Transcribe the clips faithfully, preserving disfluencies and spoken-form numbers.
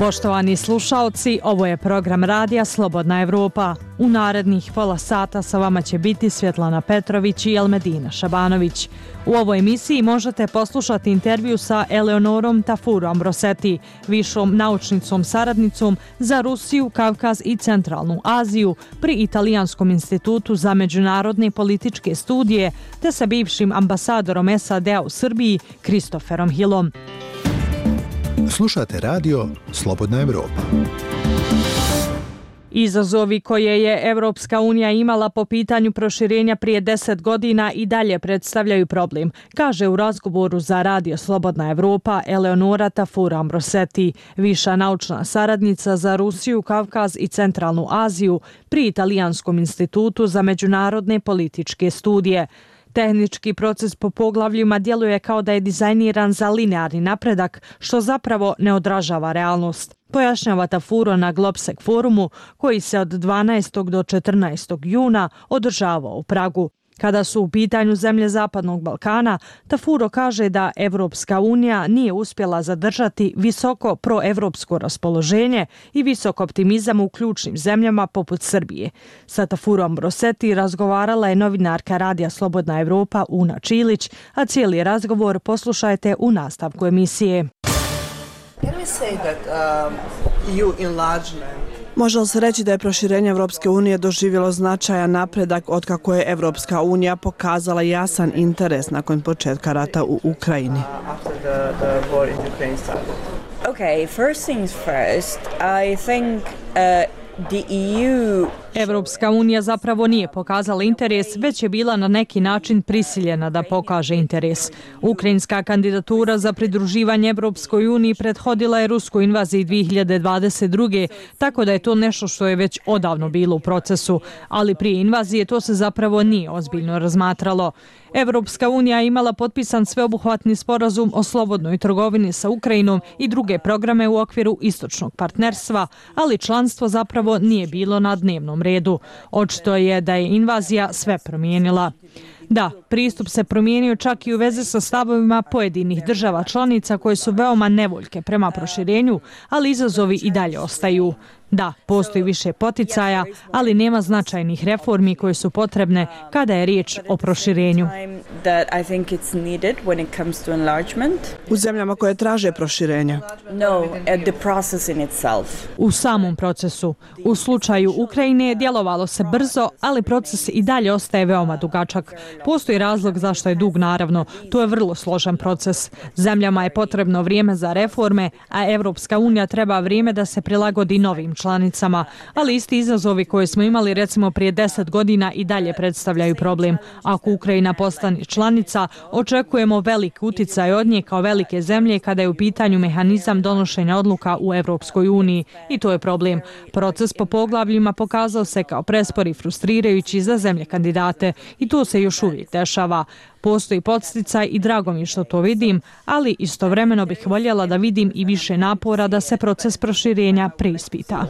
Poštovani slušaoci, ovo je program radija Slobodna Evropa. U narednih pola sata sa vama će biti Svjetlana Petrović i Elmedina Šabanović. U ovoj emisiji možete poslušati intervju sa Eleonorom Tafurom Roseti, višom naučnicom saradnicom za Rusiju, Kavkaz i Centralnu Aziju pri Italijanskom institutu za međunarodne političke studije, te sa bivšim ambasadorom S A D-a u Srbiji, Kristoferom Hillom. Slušate radio Slobodna Evropa. Izazovi koje je Evropska unija imala po pitanju proširenja prije deset godina i dalje predstavljaju problem, kaže u razgovoru za radio Slobodna Evropa Eleonora Tafura Roseti, viša naučna saradnica za Rusiju, Kavkaz i Centralnu Aziju pri Italijanskom institutu za međunarodne političke studije. Tehnički proces po poglavljima djeluje kao da je dizajniran za linearni napredak, što zapravo ne odražava realnost. Pojašnjava Tafuro na Globsec forumu koji se od dvanaestog do četrnaestog juna održavao u Pragu. Kada su u pitanju zemlje Zapadnog Balkana, Tafuro kaže da Evropska unija nije uspjela zadržati visoko proevropsko raspoloženje i visok optimizam u ključnim zemljama poput Srbije. Sa Tafurom Roseti razgovarala je novinarka radija Slobodna Evropa Una Čilić, a cijeli razgovor poslušajte u nastavku emisije. Može li se reći da je proširenje Evropske unije doživjelo značajan napredak otkako je Evropska unija pokazala jasan interes nakon početka rata u Ukrajini? Okay, first things first, I think uh, the E U Evropska unija zapravo nije pokazala interes, već je bila na neki način prisiljena da pokaže interes. Ukrajinska kandidatura za pridruživanje Evropskoj uniji prethodila je ruskoj invaziji dvije hiljade dvadeset druge. tako da je to nešto što je već odavno bilo u procesu, ali prije invazije to se zapravo nije ozbiljno razmatralo. Evropska unija je imala potpisan sveobuhvatni sporazum o slobodnoj trgovini sa Ukrajinom i druge programe u okviru istočnog partnerstva, ali članstvo zapravo nije bilo na dnevnom redu. Očito je da je invazija sve promijenila. Da, pristup se promijenio čak i u vezi sa stavovima pojedinih država članica koje su veoma nevoljke prema proširenju, ali izazovi i dalje ostaju. Da, postoji više poticaja, ali nema značajnih reformi koje su potrebne kada je riječ o proširenju. U zemljama koje traže proširenje? U samom procesu. U slučaju Ukrajine je djelovalo se brzo, ali proces i dalje ostaje veoma dugačak. Postoji razlog zašto je dug, naravno. To je vrlo složen proces. Zemljama je potrebno vrijeme za reforme, a Evropska unija treba vrijeme da se prilagodi novim članicama, ali isti izazovi koje smo imali recimo prije deset godina i dalje predstavljaju problem. Ako Ukrajina postane članica, očekujemo velik uticaj od nje kao velike zemlje kada je u pitanju mehanizam donošenja odluka u Evropskoj uniji i to je problem. Proces po poglavljima pokazao se kao prespor i frustrirajući za zemlje kandidate i to se još uvijek dešava. Postoji podsticaj i drago mi je što to vidim, ali istovremeno bih voljela da vidim i više napora da se proces proširenja preispita.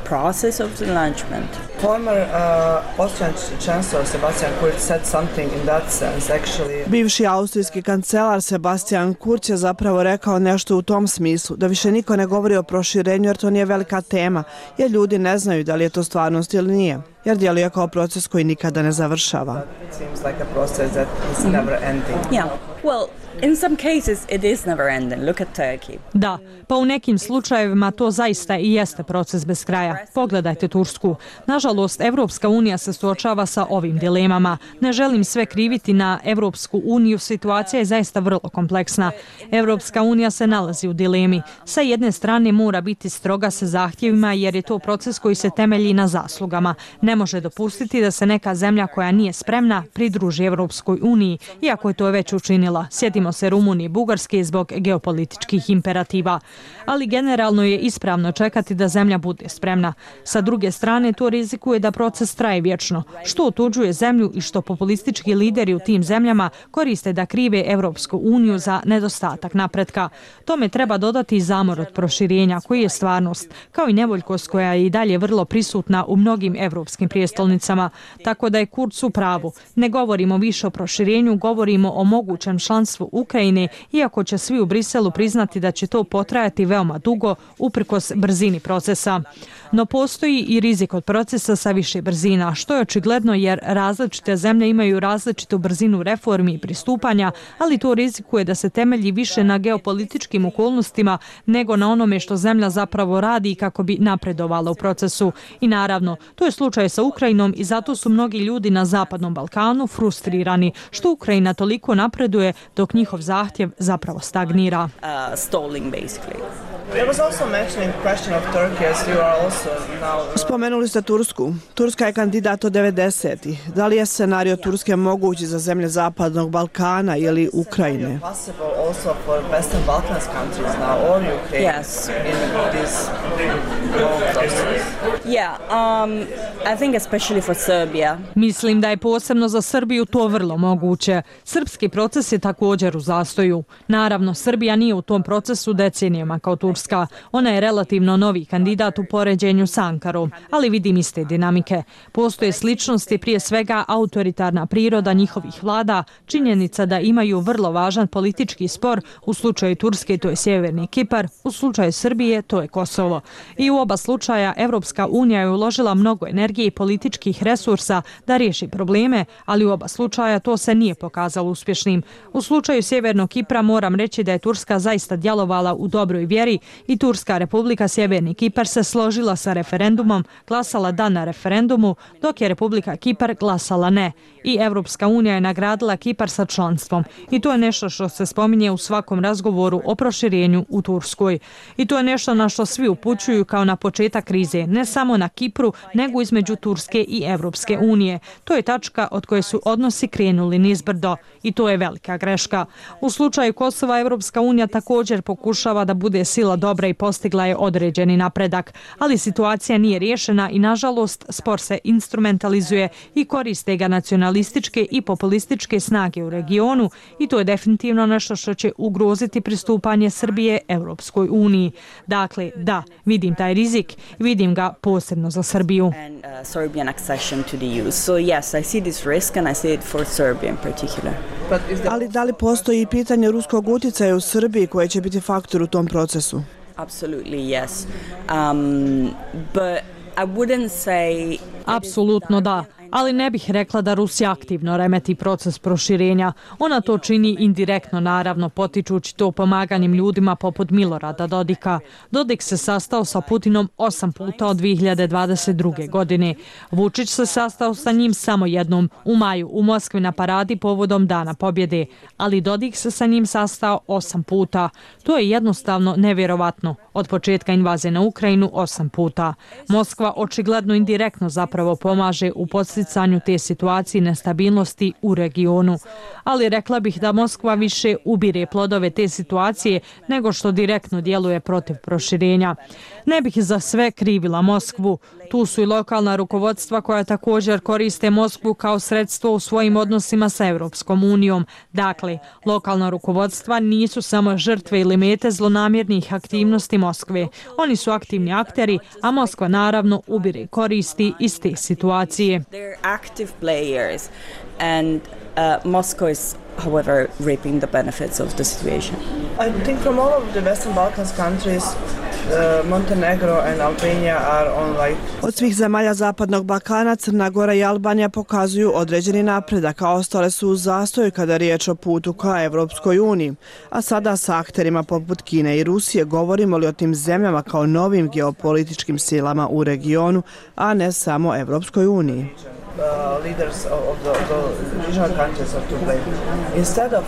process of enlargement. Former uh, Austrian Chancellor Sebastian Kurz said something in that sense actually. Bivši austrijski kancelar Sebastian Kurz je zapravo rekao nešto u tom smislu, da više niko ne govori o proširenju jer to nije velika tema, jer ljudi ne znaju da li je to stvarnost ili nije, jer djeluje kao proces koji nikada ne završava. It seems like a process that is never ending. Yeah. Well, in some cases it is never ending. Look at Turkey. Da, pa u nekim slučajevima to zaista i jeste proces bez kraja. Pogledajte Tursku. Nažalost, Evropska unija se suočava sa ovim dilemama. Ne želim sve kriviti na Evropsku uniju, situacija je zaista vrlo kompleksna. Evropska unija se nalazi u dilemi. Sa jedne strane mora biti stroga sa zahtjevima jer je to proces koji se temelji na zaslugama. Ne može dopustiti da se neka zemlja koja nije spremna pridruži Evropskoj uniji, iako je to već učinila. Sjetimo se Rumunije i Bugarske zbog geopolitičkih imperativa. Ali generalno je ispravno čekati da zemlja bude spremna. Sa druge strane, to rizikuje da proces traje vječno, što otuđuje zemlju i što populistički lideri u tim zemljama koriste da krive Evropsku uniju za nedostatak napretka. Tome treba dodati i zamor od proširenja, koji je stvarnost, kao i nevoljkost koja je i dalje vrlo prisutna u mnogim evropskim prijestolnicama. Tako da je Kurz u pravu. Ne govorimo više o proširenju, govorimo o mogućem članstvu Ukrajine, iako će svi u Briselu priznati da će to potrajati veoma dugo uprkos brzini procesa. No postoji i rizik od procesa sa više brzina, što je očigledno jer različite zemlje imaju različitu brzinu reformi i pristupanja, ali to rizikuje da se temelji više na geopolitičkim okolnostima nego na onome što zemlja zapravo radi kako bi napredovala u procesu. I naravno, to je slučaj sa Ukrajinom i zato su mnogi ljudi na Zapadnom Balkanu frustrirani što Ukrajina toliko napreduje dok njihov zahtjev zapravo stagnira. Uh, stalling basically. There was also mentioning the question of Turkey as you are also now. Spomenuli ste Tursku. Turska je kandidat od devedesetih. Da li je scenario Turske mogući za zemlje Zapadnog Balkana ili Ukrajine? Possible also for Western Balkans countries now or Ukraine Yes. in this long process. Yeah, um, I think especially for Serbia. Mislim da je posebno za Srbiju to vrlo moguće. Srpski proces je također u zastoju. Naravno, Srbija nije u tom procesu decenijama kao Turska. Ona je relativno novi kandidat u poređenju s Ankarom, ali vidim iste dinamike. Postoje sličnosti, prije svega autoritarna priroda njihovih vlada, činjenica da imaju vrlo važan politički spor, u slučaju Turske to je Sjeverni Kipar, u slučaju Srbije to je Kosovo. I u oba slučaja Evropska unija je uložila mnogo energije i političkih resursa da riješi probleme, ali u oba slučaja to se nije pokazalo uspješnim. U slučaju Sjevernog Kipra moram reći da je Turska zaista djelovala u dobroj vjeri i Turska Republika Sjeverni Kipar se složila sa referendumom, glasala da na referendumu, dok je Republika Kipar glasala ne. I Evropska unija je nagradila Kipar sa članstvom. I to je nešto što se spominje u svakom razgovoru o proširenju u Turskoj. I to je nešto na što svi upućuju kao na početak krize, ne samo na Kipru, nego između Turske i Evropske unije. To je tačka od koje su odnosi krenuli nizbrdo. I to je velika greška. U slučaju Kosova Evropska unija također pokušava da bude sila dobra i postigla je određeni napredak, ali situacija nije riješena i nažalost spor se instrumentalizuje i koriste ga nacionalističke i populističke snage u regionu i to je definitivno nešto što će ugroziti pristupanje Srbije Evropskoj uniji. Dakle, da, vidim taj rizik i vidim ga posebno za Srbiju. And uh, Serbian accession to the E U. So yes, I see this risk and I see it for Serbia in particular. But is there Ali da li postoji i pitanje ruskog utjecaja u Srbiji koje će biti faktor u tom procesu? Absolutely yes. Um, but I wouldn't say Apsolutno da, ali ne bih rekla da Rusija aktivno remeti proces proširenja. Ona to čini indirektno, naravno, potičući to pomaganjem ljudima poput Milorada Dodika. Dodik se sastao sa Putinom osam puta od dvije hiljade dvadeset druge. godine. Vučić se sastao sa njim samo jednom, u maju, u Moskvi na paradi povodom Dana pobjede, ali Dodik se sa njim sastao osam puta. To je jednostavno nevjerovatno. Od početka invazije na Ukrajinu osam puta. Moskva očigledno indirektno zapravo pomaže u podsticanju te situacije nestabilnosti u regionu. Ali rekla bih da Moskva više ubire plodove te situacije nego što direktno djeluje protiv proširenja. Ne bih za sve krivila Moskvu. Tu su i lokalna rukovodstva koja također koriste Moskvu kao sredstvo u svojim odnosima sa Evropskom unijom. Dakle, lokalna rukovodstva nisu samo žrtve ili mete zlonamjernih aktivnosti Moskve. Oni su aktivni akteri, a Moskva naravno ubire koristi iz te situacije. they're active players and uh, Moscow is however reaping the benefits of the situation. I think from all of the Western Balkans countries, uh, Montenegro and Albania are on like Od svih zemalja Zapadnog Balkana, Crna Gora i Albanija pokazuju određeni napredak, a ostale su u zastoju kada je riječ o putu ka Evropskoj uniji. A sada sa akterima poput Kine i Rusije govorimo li o tim zemljama kao novim geopolitičkim silama u regionu, a ne samo Evropskoj uniji. uh, leaders of of the, the regional countries are to blame instead of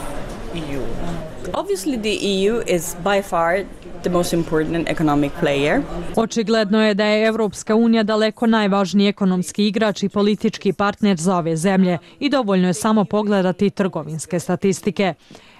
E U. Obviously the E U is by far the most important economic player. Očigledno je da je Evropska unija daleko najvažniji ekonomski igrač i politički partner za ove zemlje i dovoljno je samo pogledati trgovinske statistike.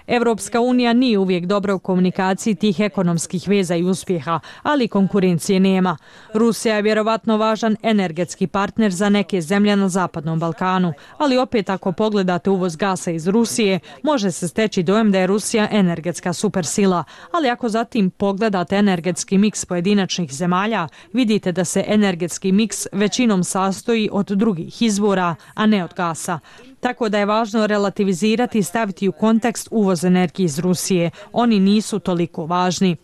Evropska unija nije uvijek dobra u komunikaciji tih ekonomskih veza i uspjeha, ali konkurencije nema. Rusija je vjerovatno važan energetski partner za neke zemlje na Zapadnom Balkanu, ali opet ako pogledate uvoz gasa iz Rusije, može se steći dojam da je Rusija energetska supersila, ali ako zatim pogledate energetski miks pojedinačnih zemalja, vidite da se energetski miks većinom sastoji od drugih izvora, a ne od gasa. tako da je važno relativizirati i staviti u kontekst uvoz energije iz Rusije. Oni nisu toliko važni.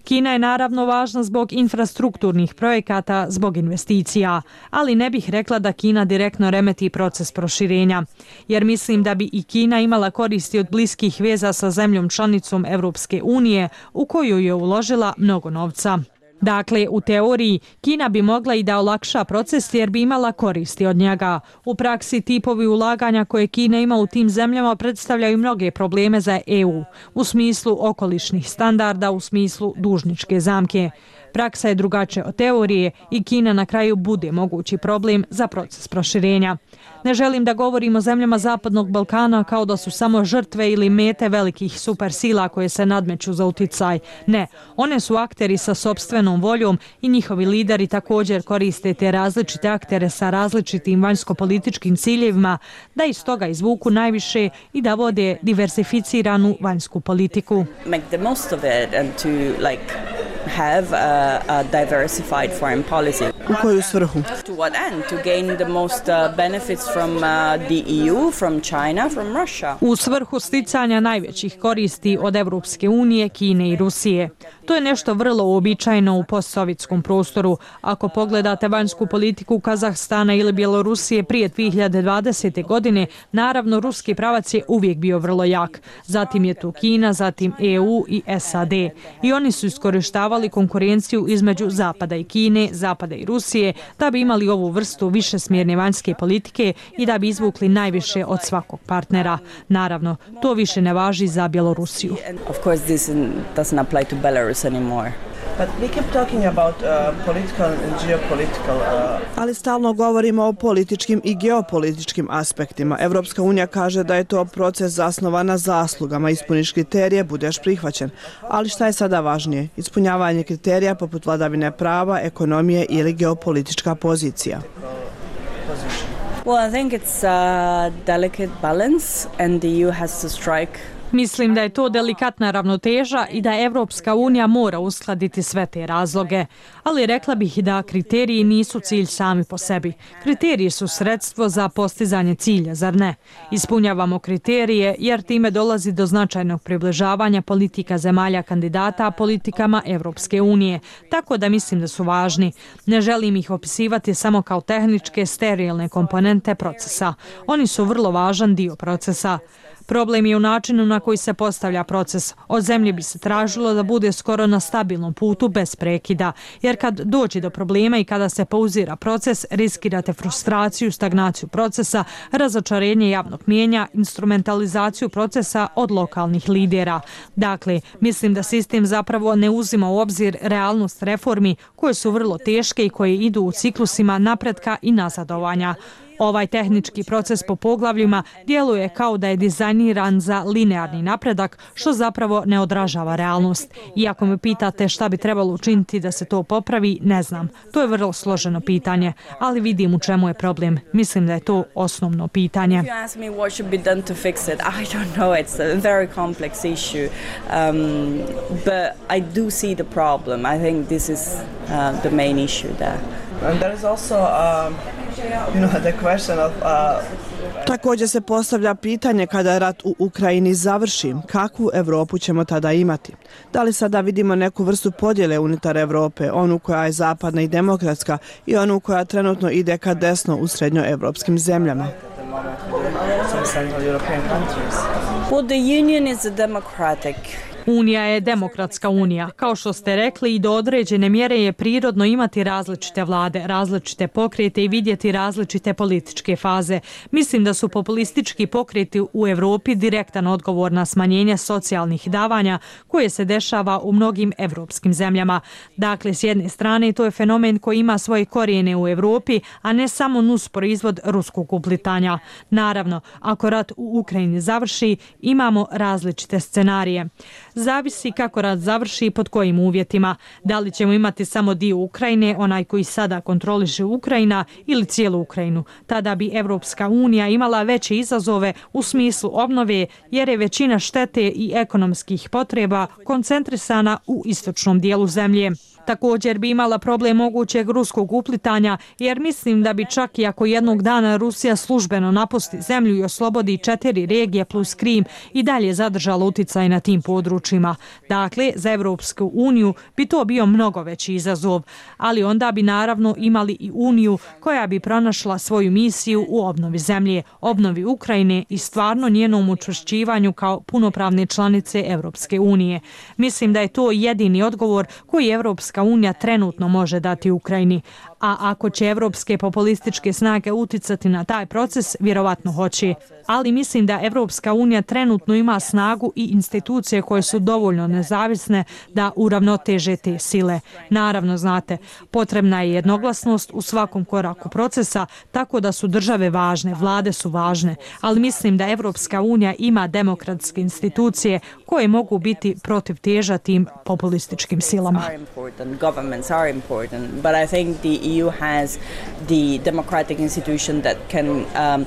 Kina je naravno važna zbog infrastrukturnih projekata, zbog investicija, ali ne bih rekla da Kina direktno remeti proces proširenja, jer mislim da bi i Kina imala koristi od bliskih veza sa zemljom članicom Evropske unije u koju je uložila mnogo novca. Dakle, u teoriji, Kina bi mogla i da olakša proces jer bi imala koristi od njega. U praksi, tipovi ulaganja koje Kina ima u tim zemljama predstavljaju mnoge probleme za E U, u smislu okolišnih standarda, u smislu dužničke zamke. Praksa je drugačija od teorije i Kina na kraju bude mogući problem za proces proširenja. Ne želim da govorim o zemljama Zapadnog Balkana kao da su samo žrtve ili mete velikih supersila koje se nadmeću za uticaj. Ne, one su akteri sa sopstvenom voljom i njihovi lideri također koriste te različite aktere sa različitim vanjsko-političkim ciljevima da iz toga izvuku najviše i da vode diversificiranu vanjsku politiku. Make the most of it and to like have a, a diversified foreign policy. U koju svrhu? To what end? To gain the most uh, benefits from uh, the E U, from China, from Russia. U svrhu sticanja najvećih koristi od Evropske unije, Kine i Rusije. To je nešto vrlo uobičajeno u postsovjetskom prostoru. Ako pogledate vanjsku politiku Kazahstana ili Bjelorusije prije dvije hiljade dvadesete. godine, naravno ruski pravac je uvijek bio vrlo jak. Zatim je tu Kina, zatim E U i S A D. I oni su iskorištavali konkurenciju između Zapada i Kine, Zapada i Rusije, da bi imali ovu vrstu višesmjerne vanjske politike i da bi izvukli najviše od svakog partnera. Naravno, to više ne važi za Bjelorusiju. Of course this doesn't apply to Belarus anymore. But we keep talking about uh, political and geopolitical. Uh... Ali stalno govorimo o političkim i geopolitičkim aspektima. Evropska unija kaže da je to proces zasnovan na zaslugama. Ispuniš kriterije, budeš prihvaćen. Ali šta je sada važnije? Ispunjavanje kriterija poput vladavine prava, ekonomije ili geopolitička pozicija? Well, I think it's a delicate balance and the E U has to strike. Mislim da je to delikatna ravnoteža i da Evropska unija mora uskladiti sve te razloge. Ali rekla bih da kriteriji nisu cilj sami po sebi. Kriteriji su sredstvo za postizanje cilja, zar ne? Ispunjavamo kriterije jer time dolazi do značajnog približavanja politika zemalja kandidata politikama Evropske unije. Tako da mislim da su važni. Ne želim ih opisivati samo kao tehničke, sterilne komponente procesa. Oni su vrlo važan dio procesa. Problem je u načinu na koji se postavlja proces. Od zemlje bi se tražilo da bude skoro na stabilnom putu bez prekida, jer kad dođe do problema i kada se pauzira proces, riskirate frustraciju, stagnaciju procesa, razočarenje javnog mnijenja, instrumentalizaciju procesa od lokalnih lidera. Dakle, mislim da sistem zapravo ne uzima u obzir realnost reformi koje su vrlo teške i koje idu u ciklusima napretka i nazadovanja. Ovaj tehnički proces po poglavljima djeluje kao da je dizajniran za linearni napredak, što zapravo ne odražava realnost. Iako me pitate šta bi trebalo učiniti da se to popravi, ne znam. To je vrlo složeno pitanje, ali vidim u čemu je problem. Mislim da je to osnovno pitanje. If you ask me what should be done to fix it, I don't know. It's a very complex issue. Um, but I do see the problem. I think this is uh, the main issue there. And there is also um, you know, the question of uh, Također se postavlja pitanje kada rat u Ukrajini završi, kakvu Evropu ćemo tada imati? Da li sada vidimo neku vrstu podjele unutar Evrope, onu koja je zapadna i demokratska i onu koja trenutno ide ka desno u srednjoevropskim zemljama? Well, the union is a democratic. Unija je demokratska unija. Kao što ste rekli, i do određene mjere je prirodno imati različite vlade, različite pokrete i vidjeti različite političke faze. Mislim da su populistički pokreti u Evropi direktan odgovor na smanjenje socijalnih davanja koje se dešava u mnogim evropskim zemljama. Dakle, s jedne strane, to je fenomen koji ima svoje korijene u Evropi, a ne samo nus proizvod ruskog uplitanja. Naravno, ako rat u Ukrajini završi, imamo različite scenarije. Zavisi kako rat završi i pod kojim uvjetima. Da li ćemo imati samo dio Ukrajine, onaj koji sada kontroliše Ukrajina, ili cijelu Ukrajinu. Tada bi Evropska unija imala veće izazove u smislu obnove, jer je većina štete i ekonomskih potreba koncentrisana u istočnom dijelu zemlje. Također bi imala problem mogućeg ruskog uplitanja, jer mislim da bi čak i ako jednog dana Rusija službeno napusti zemlju i oslobodi četiri regije plus Krim i dalje zadržala uticaj na tim područjima. Dakle, za Evropsku uniju bi to bio mnogo veći izazov, ali onda bi naravno imali i uniju koja bi pronašla svoju misiju u obnovi zemlje, obnovi Ukrajine i stvarno njenom učvršćivanju kao punopravne članice Evropske unije. Mislim da je to jedini odgovor koji Evropska unija trenutno može dati Ukrajini. A ako će evropske populističke snage uticati na taj proces, vjerovatno hoće. Ali mislim da Evropska unija trenutno ima snagu i institucije koje su dovoljno nezavisne da uravnoteže te sile. Naravno, znate, potrebna je jednoglasnost u svakom koraku procesa, tako da su države važne, vlade su važne, ali mislim da Evropska unija ima demokratske institucije koje mogu biti protiv teža tim populističkim silama. E U has the democratic institution that can um,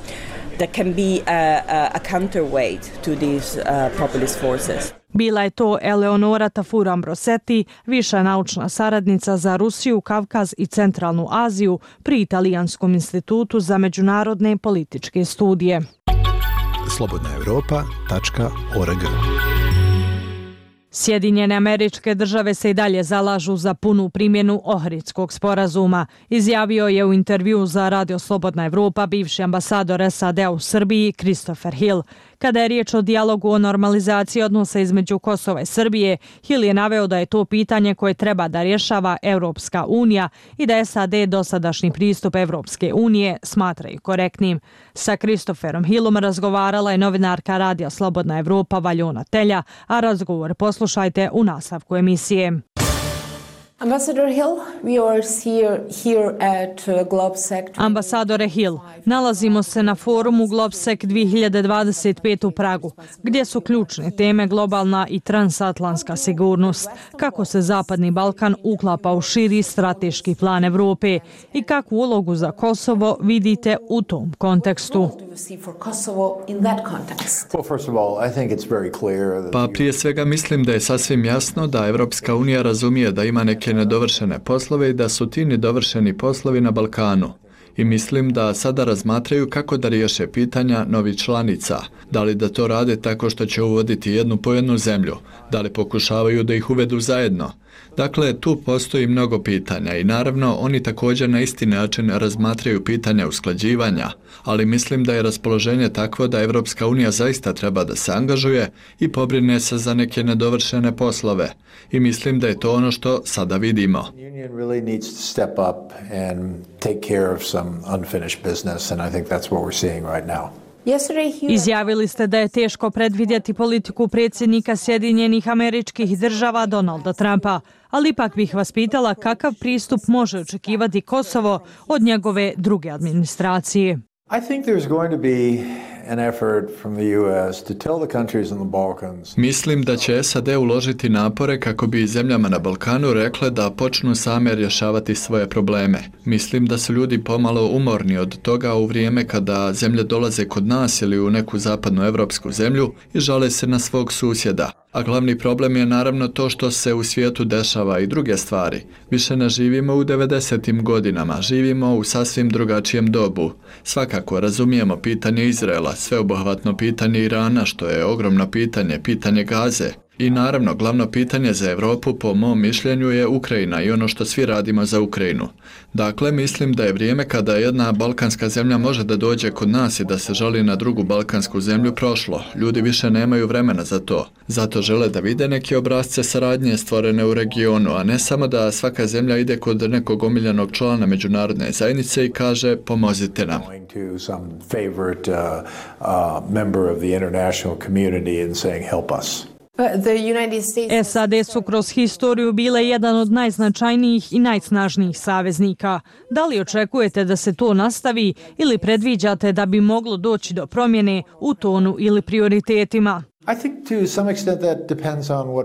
that can be a, a, a counterweight to these uh, populist forces. Bila je to Eleonora Tafuran-Brossetti, viša naučna saradnica za Rusiju, Kavkaz i Centralnu Aziju pri Italijanskom institutu za međunarodne političke studije. slobodna europa tačka org. Sjedinjene Američke Države se i dalje zalažu za punu primjenu Ohridskog sporazuma, izjavio je u intervjuu za Radio Slobodna Evropa bivši ambasador S A D-a u Srbiji Christopher Hill. Kada je riječ o dijalogu o normalizaciji odnosa između Kosova i Srbije, Hill je naveo da je to pitanje koje treba da rješava Evropska unija i da S A D dosadašnji pristup Evropske unije smatraju korektnim. Sa Christopherom Hillom razgovarala je novinarka Radija Slobodna Evropa Valjona Telja, a razgovor poslušajte u nastavku emisije. Ambassador Hill, we are here, here at GlobSec. Ambasadore Hill, nalazimo se na forumu GlobSec dvije hiljade dvadeset pet u Pragu, gdje su ključne teme globalna i transatlantska sigurnost, kako se Zapadni Balkan uklapa u širi strateški plan Evrope i kakvu ulogu za Kosovo vidite u tom kontekstu. Pa prije svega mislim da je sasvim jasno da Evropska unija razumije da ima neke nedovršene poslove i da su ti nedovršeni poslovi na Balkanu. I mislim da sada razmatraju kako da riješe pitanja novih članica. Da li da to rade tako što će uvoditi jednu po jednu zemlju? Da li pokušavaju da ih uvedu zajedno? Dakle, tu postoji mnogo pitanja i naravno oni također na isti način razmatraju pitanja usklađivanja, ali mislim da je raspoloženje takvo da Evropska unija zaista treba da se angažuje i pobrine se za neke nedovršene poslove. I mislim da je to ono što sada vidimo. Izjavili ste da je teško predvidjeti politiku predsjednika Sjedinjenih Američkih Država Donalda Trumpa, ali ipak bih vas pitala kakav pristup može očekivati Kosovo od njegove druge administracije. Mislim da će S A D uložiti napore kako bi zemljama na Balkanu rekle da počnu same rješavati svoje probleme. Mislim da su ljudi pomalo umorni od toga u vrijeme kada zemlje dolaze kod nas ili u neku zapadnu evropsku zemlju i žale se na svog susjeda. A glavni problem je naravno to što se u svijetu dešava i druge stvari. Više ne živimo u devedesetim godinama, živimo u sasvim drugačijem dobu. Svakako razumijemo pitanje Izraela, sveobuhvatno pitanje Irana, što je ogromno pitanje, pitanje Gaze. I naravno, glavno pitanje za Europu, po mom mišljenju, je Ukrajina i ono što svi radimo za Ukrajinu. Dakle, mislim da je vrijeme kada jedna balkanska zemlja može da dođe kod nas i da se žali na drugu balkansku zemlju prošlo. Ljudi više nemaju vremena za to. Zato žele da vide neke obrazce saradnje stvorene u regionu, a ne samo da svaka zemlja ide kod nekog omiljenog člana međunarodne zajednice i kaže pomozite nam. S A D su kroz historiju bile jedan od najznačajnijih i najsnažnijih saveznika. Da li očekujete da se to nastavi ili predviđate da bi moglo doći do promjene u tonu ili prioritetima?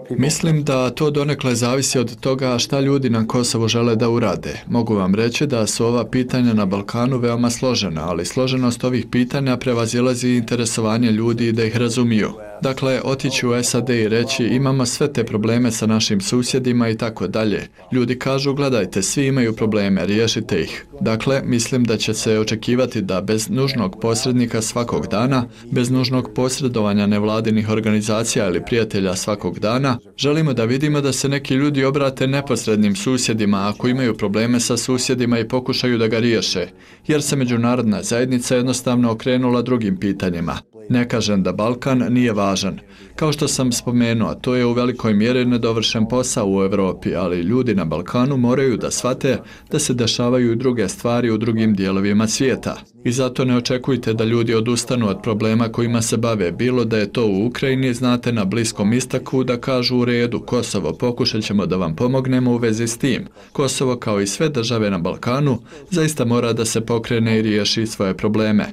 Mislim da to donekle zavisi od toga šta ljudi na Kosovu žele da urade. Mogu vam reći da su ova pitanja na Balkanu veoma složena, ali složenost ovih pitanja prevazilazi interesovanje ljudi da ih razumiju. Dakle, otići u S A D i reći imamo sve te probleme sa našim susjedima i tako dalje. Ljudi kažu gledajte, svi imaju probleme, riješite ih. Dakle, mislim da će se očekivati da bez nužnog posrednika svakog dana, bez nužnog posredovanja nevladinih organizacija ili prijatelja svakog dana, želimo da vidimo da se neki ljudi obrate neposrednim susjedima ako imaju probleme sa susjedima i pokušaju da ga riješe, jer se međunarodna zajednica jednostavno okrenula drugim pitanjima. Ne kažem da Balkan nije važan. Kao što sam spomenuo, to je u velikoj mjeri nedovršen posao u Europi, ali ljudi na Balkanu moraju da shvate da se dešavaju i druge stvari u drugim dijelovima svijeta. I zato ne očekujte da ljudi odustanu od problema kojima se bave, bilo da je to u Ukrajini, znate, na Bliskom istoku, da kažu u redu, Kosovo, pokušat ćemo da vam pomognemo u vezi s tim. Kosovo, kao i sve države na Balkanu, zaista mora da se pokrene i riješi svoje probleme.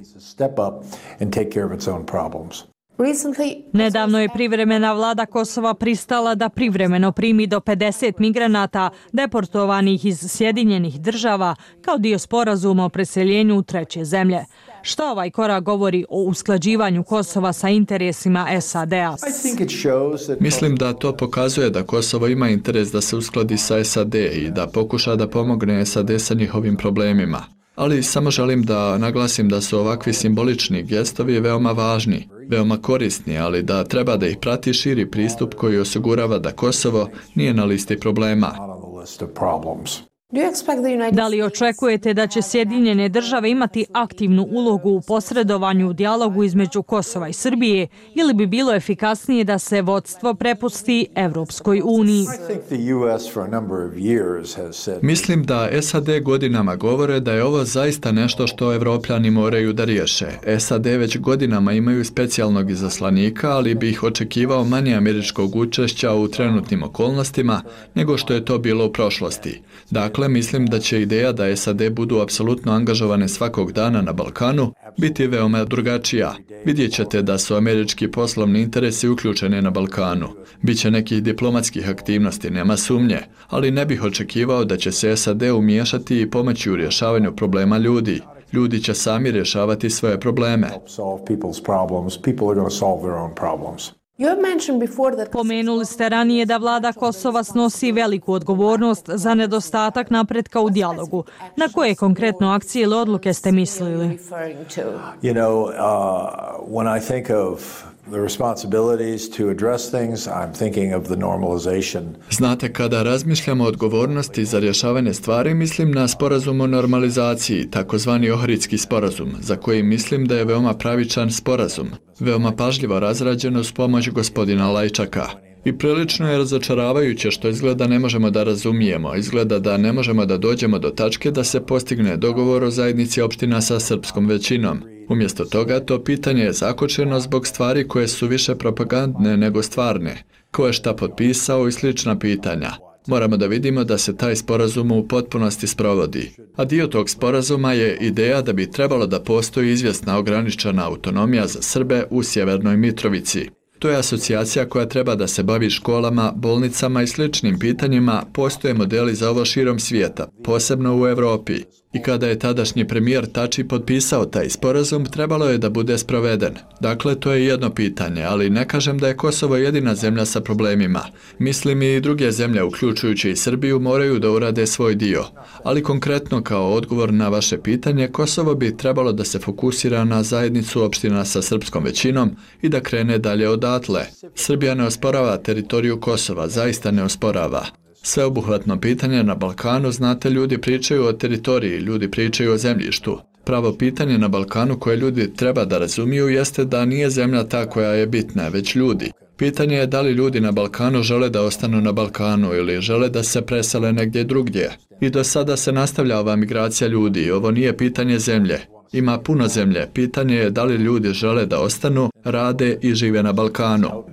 Nedavno je privremena vlada Kosova pristala da privremeno primi do pedeset migranata deportovanih iz Sjedinjenih država kao dio sporazuma o preseljenju u treće zemlje. Šta ovaj korak govori o usklađivanju Kosova sa interesima S A D-a? Mislim da to pokazuje da Kosovo ima interes da se uskladi sa S A D i da pokuša da pomogne S A D sa njihovim problemima. Ali samo želim da naglasim da su ovakvi simbolični gestovi veoma važni, veoma korisni, ali da treba da ih prati širi pristup koji osigurava da Kosovo nije na listi problema. Da li očekujete da će Sjedinjene države imati aktivnu ulogu u posredovanju u dijalogu između Kosova i Srbije ili bi bilo efikasnije da se vodstvo prepusti Evropskoj uniji? Mislim da S A D godinama govore da je ovo zaista nešto što Evropljani moraju da riješe. S A D već godinama imaju specijalnog izaslanika, ali bi ih očekivao manje američkog učešća u trenutnim okolnostima nego što je to bilo u prošlosti. Dakle, Dakle, mislim da će ideja da S A D budu apsolutno angažovane svakog dana na Balkanu biti veoma drugačija. Vidjet ćete da su američki poslovni interesi uključeni na Balkanu. Biće nekih diplomatskih aktivnosti, nema sumnje, ali ne bih očekivao da će se S A D umiješati i pomoći u rješavanju problema ljudi. Ljudi će sami rješavati svoje probleme. Pomenuli ste ranije da vlada Kosova snosi veliku odgovornost za nedostatak napretka u dijalogu. Na koje konkretno akcije ili odluke ste mislili? You know, uh, when I think of the responsibilities to address things, I'm thinking of the normalization. Znate, kada razmišljamo o odgovornosti za rješavanje stvari, mislim na sporazum o normalizaciji, takozvani Ohridski sporazum, za koji mislim da je veoma pravičan sporazum, veoma pažljivo razrađen uz pomoć gospodina Lajčaka. I prilično je razočaravajuće što izgleda ne možemo da razumijemo, izgleda da ne možemo da dođemo do tačke da se postigne dogovor o zajednici opština sa srpskom većinom. Umjesto toga, to pitanje je zakočeno zbog stvari koje su više propagandne nego stvarne, ko je šta potpisao i slična pitanja. Moramo da vidimo da se taj sporazum u potpunosti sprovodi. A dio tog sporazuma je ideja da bi trebalo da postoji izvjesna ograničena autonomija za Srbe u Sjevernoj Mitrovici. To je asocijacija koja treba da se bavi školama, bolnicama i sličnim pitanjima, postoje modeli za ovo širom svijeta, posebno u Europi. I kada je tadašnji premijer Tači potpisao taj sporazum, trebalo je da bude sproveden. Dakle, to je jedno pitanje, ali ne kažem da je Kosovo jedina zemlja sa problemima. Mislim i druge zemlje, uključujući i Srbiju, moraju da urade svoj dio. Ali konkretno kao odgovor na vaše pitanje, Kosovo bi trebalo da se fokusira na zajednicu opština sa srpskom većinom i da krene dalje odatle. Srbija ne osporava teritoriju Kosova, zaista ne osporava. Sveobuhvatno pitanje na Balkanu, znate, ljudi pričaju o teritoriji, ljudi pričaju o zemljištu. Pravo pitanje na Balkanu koje ljudi treba da razumiju jeste da nije zemlja ta koja je bitna, već ljudi. Pitanje je da li ljudi na Balkanu žele da ostanu na Balkanu ili žele da se presele negdje drugdje. I do sada se nastavlja ova migracija ljudi, ovo nije pitanje zemlje. Ima puno zemlje. Pitanje je da li ljudi žele da ostanu, rade i žive na Balkanu.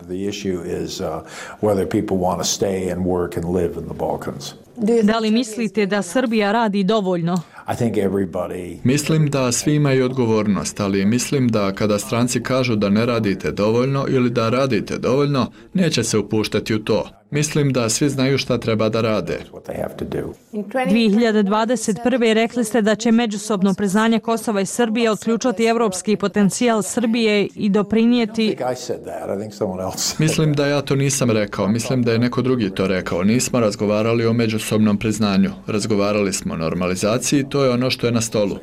Da li mislite da Srbija radi dovoljno? I think everybody... Mislim da svi imaju odgovornost, ali mislim da kada stranci kažu da ne radite dovoljno ili da radite dovoljno, neće se upuštati u to. Mislim da svi znaju šta treba da rade. dvije hiljade dvadeset prve. rekli ste da će međusobno priznanje Kosova i Srbije otključati evropski potencijal Srbije i doprinijeti... Mislim da ja to nisam rekao, mislim da je neko drugi to rekao. Nismo razgovarali o međusobnom priznanju. Razgovarali smo o normalizaciji, to je ono što je na stolu.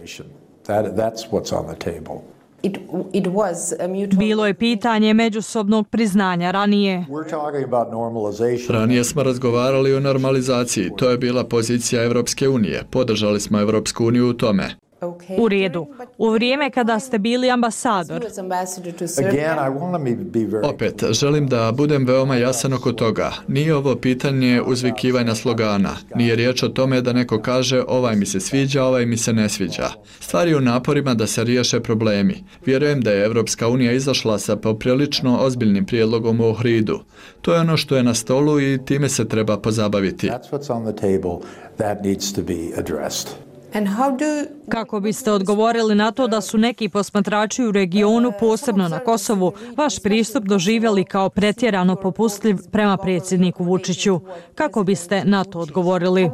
It, it was a mutual... Bilo je pitanje međusobnog priznanja ranije. Ranije smo razgovarali o normalizaciji. To je bila pozicija Evropske unije. Podržali smo Evropsku uniju u tome. U redu. U vrijeme kada ste bili ambasador. Opet, želim da budem veoma jasan oko toga. Nije ovo pitanje uzvikivanja slogana. Nije riječ o tome da neko kaže ovaj mi se sviđa, ovaj mi se ne sviđa. Stvar je u naporima da se riješe problemi. Vjerujem da je Evropska unija izašla sa poprilično ozbiljnim prijedlogom u Ohridu. To je ono što je na stolu i time se treba pozabaviti. Kako biste odgovorili na to da su neki posmatrači u regionu, posebno na Kosovu, vaš pristup doživjeli kao pretjerano popustljiv prema predsjedniku Vučiću? Kako biste na to odgovorili?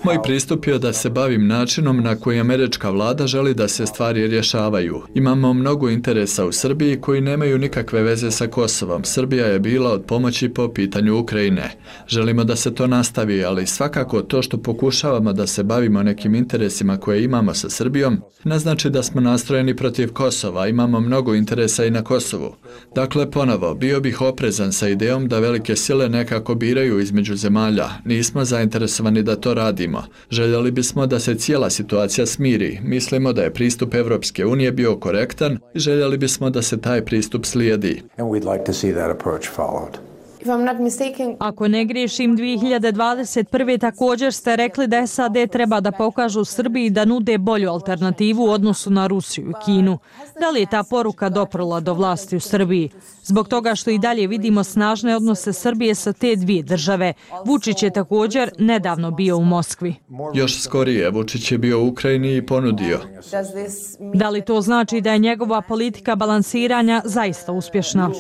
Moj pristup je da se bavim načinom na koji američka vlada želi da se stvari rješavaju. Imamo mnogo interesa u Srbiji koji nemaju nikakve veze sa Kosovom. Srbija je bila od pomoći po pitanju Ukrajine. Želimo da se to nastavi, ali svakako to što pokušavamo da se bavimo nekim interesima koje imamo sa Srbijom, ne znači da smo nastrojeni protiv Kosova. Imamo mnogo interesa i na Kosovu. Dakle, ponovo, bio bih oprezan sa idejom da velike sile nekako biraju između zemalja. Nismo zainteresovani da to radimo. Željeli bismo da se cijela situacija smiri. Mislimo da je pristup Evropske unije bio korektan i željeli bismo da se taj pristup slijedi. Ako ne griješim, dvije hiljade dvadeset prve. također ste rekli da S A D treba da pokažu Srbiji da nude bolju alternativu u odnosu na Rusiju i Kinu. Da li je ta poruka doprla do vlasti u Srbiji? Zbog toga što i dalje vidimo snažne odnose Srbije sa te dvije države. Vučić je također nedavno bio u Moskvi. Još skorije, Vučić je bio u Ukrajini i ponudio. Da li to znači da je njegova politika balansiranja zaista uspješna?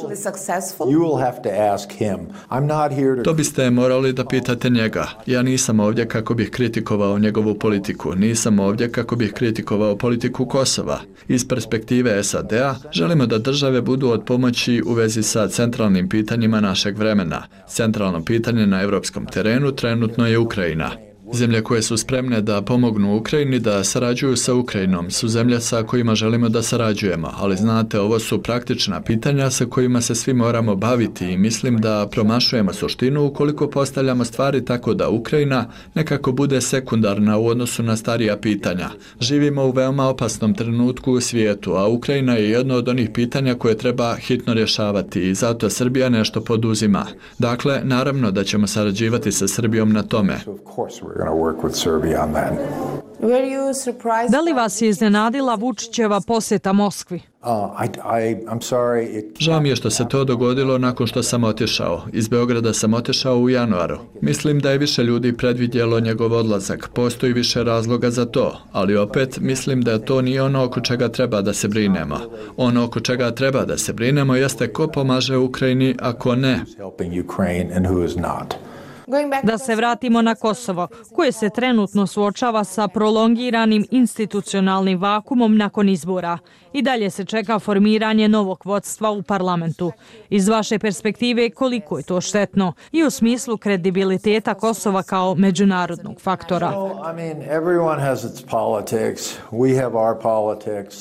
To biste morali da pitate njega. Ja nisam ovdje kako bih kritikovao njegovu politiku. Nisam ovdje kako bih kritikovao politiku Kosova. Iz perspektive S A D-a želimo da države budu od pomoći u vezi sa centralnim pitanjima našeg vremena. Centralno pitanje na evropskom terenu trenutno je Ukrajina. Zemlje koje su spremne da pomognu Ukrajini da sarađuju sa Ukrajinom su zemlje sa kojima želimo da sarađujemo, ali znate, ovo su praktična pitanja sa kojima se svi moramo baviti i mislim da promašujemo suštinu ukoliko postavljamo stvari tako da Ukrajina nekako bude sekundarna u odnosu na starija pitanja. Živimo u veoma opasnom trenutku u svijetu, a Ukrajina je jedno od onih pitanja koje treba hitno rješavati i zato Srbija nešto poduzima. Dakle, naravno da ćemo sarađivati sa Srbijom na tome. Da li vas je iznenadila Vučićeva posjeta Moskvi? Žao mi je što se to dogodilo nakon što sam otišao. Iz Beograda sam otišao u januaru. Mislim da je više ljudi predvidjelo njegov odlazak. Postoji više razloga za to, ali opet mislim da to nije ono oko čega treba da se brinemo. Ono oko čega treba da se brinemo jeste ko pomaže Ukrajini, a ko ne. Da se vratimo na Kosovo, koje se trenutno suočava sa prolongiranim institucionalnim vakumom nakon izbora. I dalje se čeka formiranje novog vodstva u parlamentu. Iz vaše perspektive, koliko je to štetno i u smislu kredibiliteta Kosova kao međunarodnog faktora?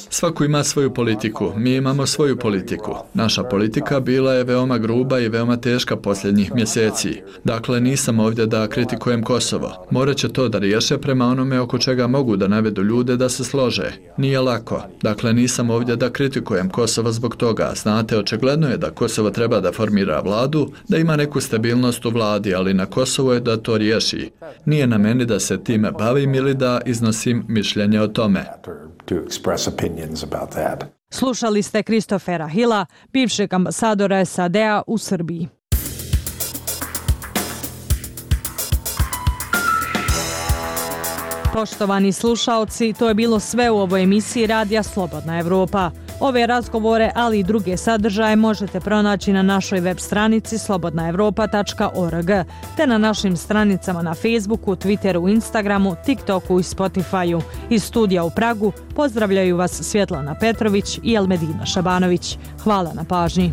Svako ima svoju politiku. Mi imamo svoju politiku. Naša politika bila je veoma gruba i veoma teška posljednjih mjeseci. Dakle, nisam ovdje da kritikujem Kosovo. Morat će to da riješe prema onome oko čega mogu da navedu ljude da se slože. Nije lako. Dakle, nisam ovdje da kritikujem Kosovo zbog toga. Znate, očigledno je da Kosovo treba da formira vladu, da ima neku stabilnost u vladi, ali na Kosovo je da to riješi. Nije na meni da se time bavim ili da iznosim mišljenje o tome. Slušali ste Christophera Hilla, bivšeg ambasadora S A D-a u Srbiji. Poštovani slušaoci, to je bilo sve u ovoj emisiji Radija Slobodna Evropa. Ove razgovore, ali i druge sadržaje možete pronaći na našoj web stranici slobodna evropa tačka org te na našim stranicama na Facebooku, Twitteru, Instagramu, TikToku i Spotifyu. Iz studija u Pragu pozdravljaju vas Svjetlana Petrović i Elmedina Šabanović. Hvala na pažnji.